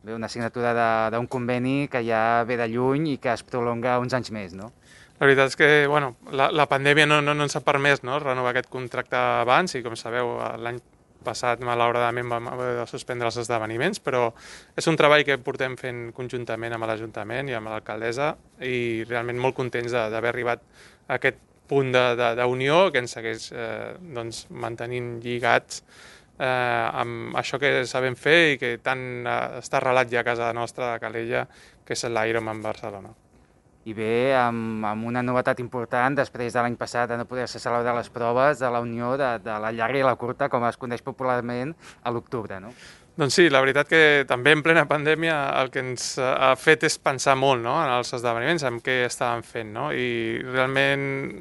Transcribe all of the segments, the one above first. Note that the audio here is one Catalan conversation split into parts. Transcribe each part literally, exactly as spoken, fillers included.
Bé, una signatura de- d'un conveni que ja ve de lluny i que es prolonga uns anys més, no? La veritat és que bueno, la, la pandèmia no, no, no ens ha permès, no, renovar aquest contracte abans i, com sabeu, l'any passat malauradament vam haver de suspendre els esdeveniments, però és un treball que portem fent conjuntament amb l'Ajuntament i amb l'alcaldessa i realment molt contents de- d'haver arribat a aquest punt de- de- d'unió que ens segueix eh, doncs, mantenint lligats eh, amb això que sabem fer i que tant eh, està arrelat ja a casa nostra, a Calella, que és l'Ironman Barcelona. I bé, amb, amb una novetat important, després de l'any passat de no poder-se celebrar les proves de la unió de, de la llarga i la curta, com es coneix popularment, a l'octubre, no? Doncs sí, la veritat que també en plena pandèmia el que ens ha fet és pensar molt, no?, en els esdeveniments, en què estàvem fent, no? I realment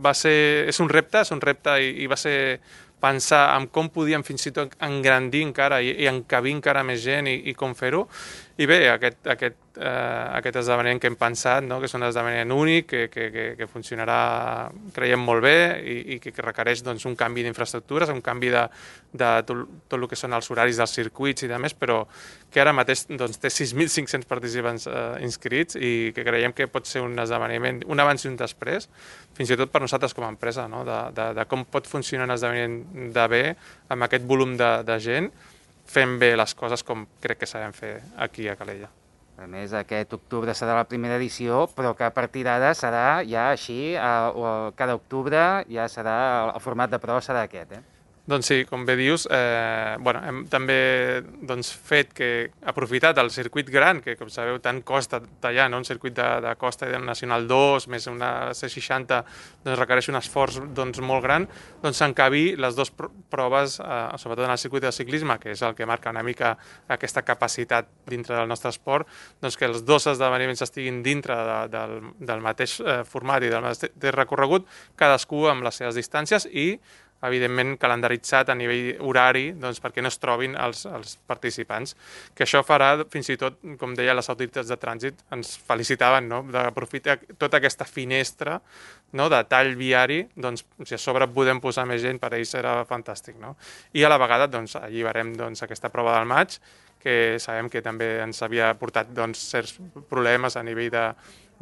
va ser, és un repte, és un repte i, i va ser pensar en com podíem fins i tot engrandir encara i, i encabir encara més gent i, i com fer-ho. I bé, aquest, aquest, eh, aquest esdeveniment que hem pensat, no?, que és un esdeveniment únic, que, que, que, que funcionarà, creiem, molt bé i, i que requereix doncs, un canvi d'infraestructures, un canvi de, de tot, tot el que són els horaris dels circuits i de més, però que ara mateix doncs, té sis mil cinc-cents participants eh, inscrits i que creiem que pot ser un esdeveniment, un abans i un després, fins i tot per nosaltres com a empresa, no?, de, de, de com pot funcionar un esdeveniment de bé amb aquest volum de, de gent, fent bé les coses com crec que sabem fer aquí a Calella. A més, aquest octubre serà la primera edició, però que a partir d'ara serà ja així, eh, cada octubre ja serà, el format de prova serà aquest, eh? Doncs sí, com bé dius, eh, bueno, hem també doncs, fet que, aprofitat el circuit gran, que com sabeu tant costa tallar, no? Un circuit de, de costa de Nacional dos més una C seixanta doncs, requereix un esforç doncs, molt gran, doncs s'encabir les dues proves, eh, sobretot en el circuit de ciclisme, que és el que marca una mica aquesta capacitat dintre del nostre esport, doncs que els dos esdeveniments estiguin dintre de, del, del mateix eh, format i del mateix recorregut, cadascú amb les seves distàncies i evidentment calendaritzat a nivell horari doncs, perquè no es trobin els, els participants. Que això farà, fins i tot, com deia, les autoritats de trànsit ens felicitaven, no?, d'aprofitar tota aquesta finestra, no?, de tall viari, doncs, si a sobre podem posar més gent, per ells serà fantàstic. No? I a la vegada doncs, alliberem doncs, aquesta prova del maig, que sabem que també ens havia portat doncs, certs problemes a nivell de,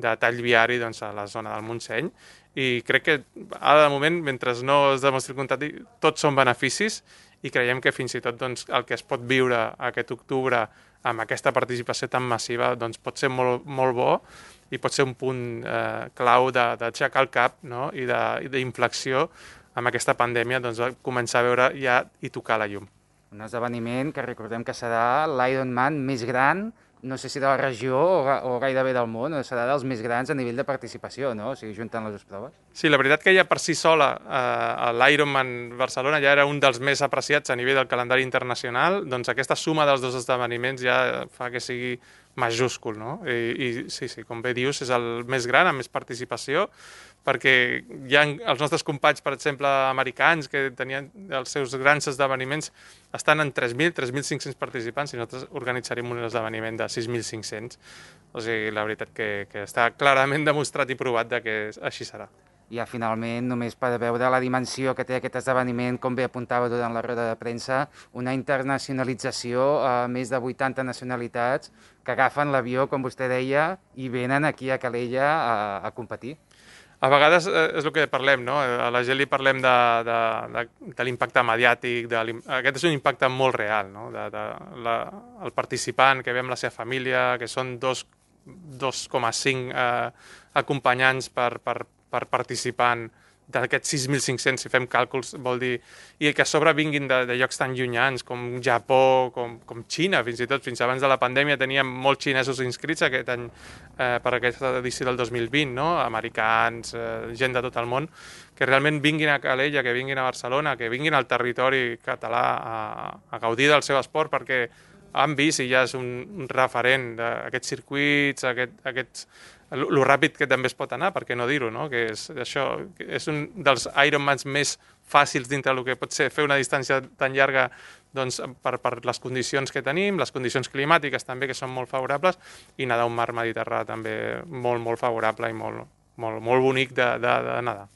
de tall viari doncs, a la zona del Montseny, i crec que ara de moment, mentre no es demostri el contrari, tots són beneficis i creiem que fins i tot doncs, el que es pot viure aquest octubre amb aquesta participació tan massiva doncs, pot ser molt, molt bo i pot ser un punt eh, clau d'aixecar el cap, no?, i d'inflexió amb aquesta pandèmia, doncs, començar a veure ja i tocar la llum. Un esdeveniment que recordem que serà l'Ironman més gran, no sé si de la regió o, o gairebé del món, o serà dels més grans a nivell de participació, no? O sigui, juntant les dues proves. Sí, la veritat que ja per si sola eh, l'Ironman Barcelona ja era un dels més apreciats a nivell del calendari internacional, doncs aquesta suma dels dos esdeveniments ja fa que sigui majúscul, no? I, i sí, sí, com bé dius, és el més gran, amb més participació, perquè hi ha els nostres companys, per exemple, americans, que tenien els seus grans esdeveniments, estan en tres mil, tres mil cinc-cents participants i nosaltres organitzarem un esdeveniment de sis mil cinc-cents. O sigui, la veritat que, que està clarament demostrat i provat de que així serà. Ja finalment, només per veure la dimensió que té aquest esdeveniment, com bé apuntava durant la roda de premsa, una internacionalització a més de vuitanta nacionalitats que agafen l'avió, com vostè deia, i venen aquí a Calella a, a competir. A vegades eh, és el que parlem, no? A la gent li parlem de, de, de, de l'impacte mediàtic, de aquest és un impacte molt real, no? De, de, la, el participant que ve amb la seva família, que són dos coma cinc eh, acompanyants per, per, per participant d'aquests sis mil cinc-cents, si fem càlculs, vol dir, i que a sobre vinguin de, de llocs tan llunyans com Japó, com, com Xina, fins i tot, fins abans de la pandèmia teníem molts xinesos inscrits aquest any eh, per aquesta edició del dos mil vint, no? Americans, eh, gent de tot el món, que realment vinguin a Calella, que vinguin a Barcelona, que vinguin al territori català a, a gaudir del seu esport, perquè han vist i ja és un, un referent d'aquests circuits, aquest, aquests, el, el ràpid que també es pot anar, per què no dir-ho, no? Que és, això, que és un dels Ironmans més fàcils dintre del que pot ser fer una distància tan llarga doncs, per, per les condicions que tenim, les condicions climàtiques també que són molt favorables i nedar un mar Mediterrani també molt, molt favorable i molt, molt, molt bonic de, de, de nedar.